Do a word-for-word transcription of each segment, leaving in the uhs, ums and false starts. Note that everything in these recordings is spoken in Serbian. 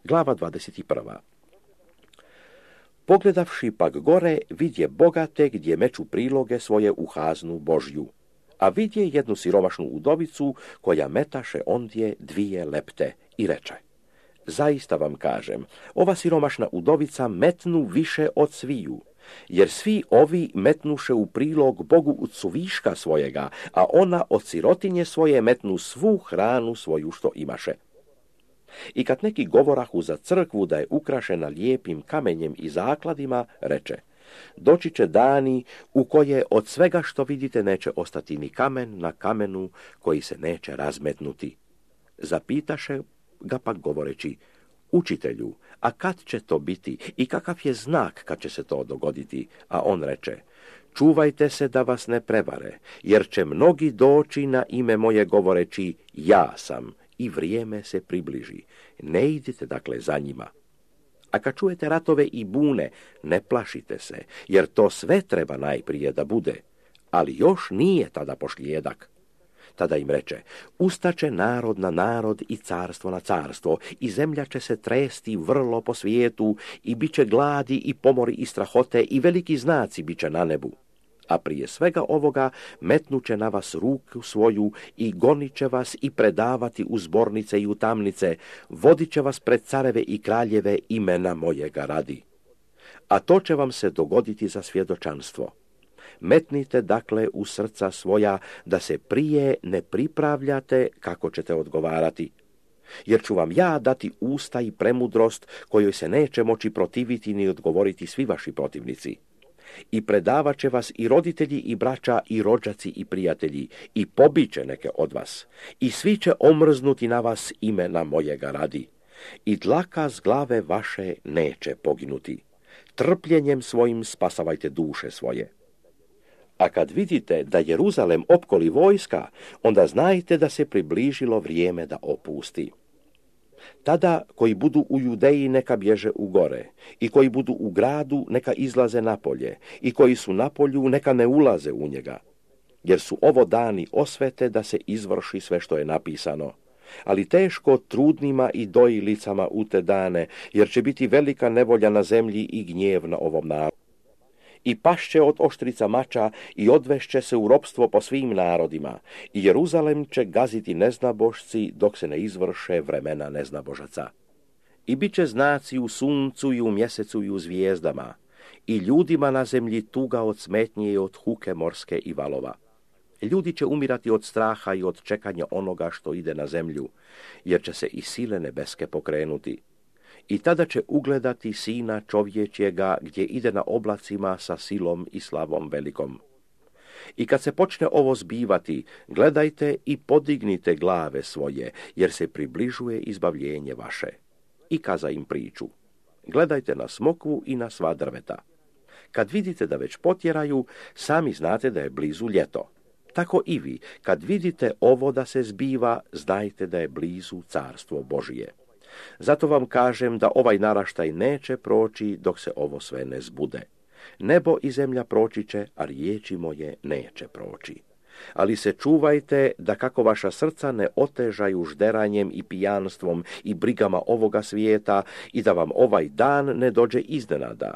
Glava dvadeset prva. Pogledavši pak gore, vidje bogate gdje meču priloge svoje u haznu Božju, a vidje jednu siromašnu udovicu koja metaše ondje dvije lepte i reče: zaista vam kažem, ova siromašna udovica metnu više od sviju, jer svi ovi metnuše u prilog Bogu od suviška svojega, a ona od sirotinje svoje metnu svu hranu svoju što imaše. I kad neki govorahu za crkvu da je ukrašena lijepim kamenjem i zakladima, reče: doći će dani u koje od svega što vidite neće ostati ni kamen na kamenu koji se neće razmetnuti. Zapitaše ga pak govoreći: učitelju, a kad će to biti i kakav je znak kad će se to dogoditi? A on reče: čuvajte se da vas ne prevare, jer će mnogi doći na ime moje govoreći: ja sam, i vrijeme se približi. Ne idite dakle za njima. A kad čujete ratove i bune, ne plašite se, jer to sve treba najprije da bude, ali još nije tada pošlijedak. Tada im reče: ustaće narod na narod i carstvo na carstvo, i zemlja će se tresti vrlo po svijetu, i bit će gladi i pomori i strahote, i veliki znaci bit će na nebu. A prije svega ovoga metnuće na vas ruku svoju i gonit će vas i predavati u zbornice i u tamnice, vodit će vas pred careve i kraljeve imena mojega radi. A to će vam se dogoditi za svjedočanstvo. Metnite dakle u srca svoja da se prije ne pripravljate kako ćete odgovarati. Jer ću vam ja dati usta i premudrost kojoj se neće moći protiviti ni odgovoriti svi vaši protivnici. I predavat će vas i roditelji i braća i rođaci i prijatelji, i pobiće neke od vas, i svi će omrznuti na vas imena mojega radi. I dlaka s glave vaše neće poginuti. Trpljenjem svojim spasavajte duše svoje. A kad vidite da Jeruzalem opkoli vojska, onda znajte da se približilo vrijeme da opusti. Tada koji budu u Judeji neka bježe u gore, i koji budu u gradu neka izlaze napolje, i koji su na polju neka ne ulaze u njega. Jer su ovo dani osvete da se izvrši sve što je napisano. Ali teško trudnima i dojilicama u te dane, jer će biti velika nevolja na zemlji i gnjev na ovom narodu. I pašće od oštrica mača i odvešće se u ropstvo po svim narodima, i Jeruzalem će gaziti neznabošci dok se ne izvrše vremena neznabožaca. I bit će znaci u suncu i u mjesecu i u zvijezdama, i ljudima na zemlji tuga od smetnje i od huke morske i valova. Ljudi će umirati od straha i od čekanja onoga što ide na zemlju, jer će se i sile nebeske pokrenuti. I tada će ugledati sina čovječjega gdje ide na oblacima sa silom i slavom velikom. I kad se počne ovo zbivati, gledajte i podignite glave svoje, jer se približuje izbavljenje vaše. I kaza im priču: gledajte na smokvu i na sva drveta. Kad vidite da već potjeraju, sami znate da je blizu ljeto. Tako i vi, kad vidite ovo da se zbiva, znajte da je blizu carstvo Božije. Zato vam kažem da ovaj naraštaj neće proći dok se ovo sve ne zbude. Nebo i zemlja proći će, a riječi moje neće proći. Ali se čuvajte da kako vaša srca ne otežaju žderanjem i pijanstvom i brigama ovoga svijeta, i da vam ovaj dan ne dođe iznenada.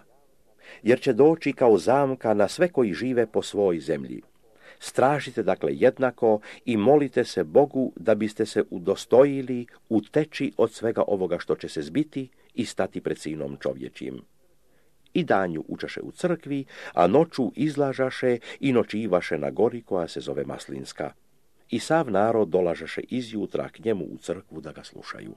Jer će doći kao zamka na sve koji žive po svoj zemlji. Stražite dakle jednako i molite se Bogu da biste se udostojili uteći od svega ovoga što će se zbiti i stati pred sinom čovječim. I danju učaše u crkvi, a noću izlažaše i noćivaše na gori koja se zove Maslinska. I sav narod dolažaše izjutra k njemu u crkvu da ga slušaju.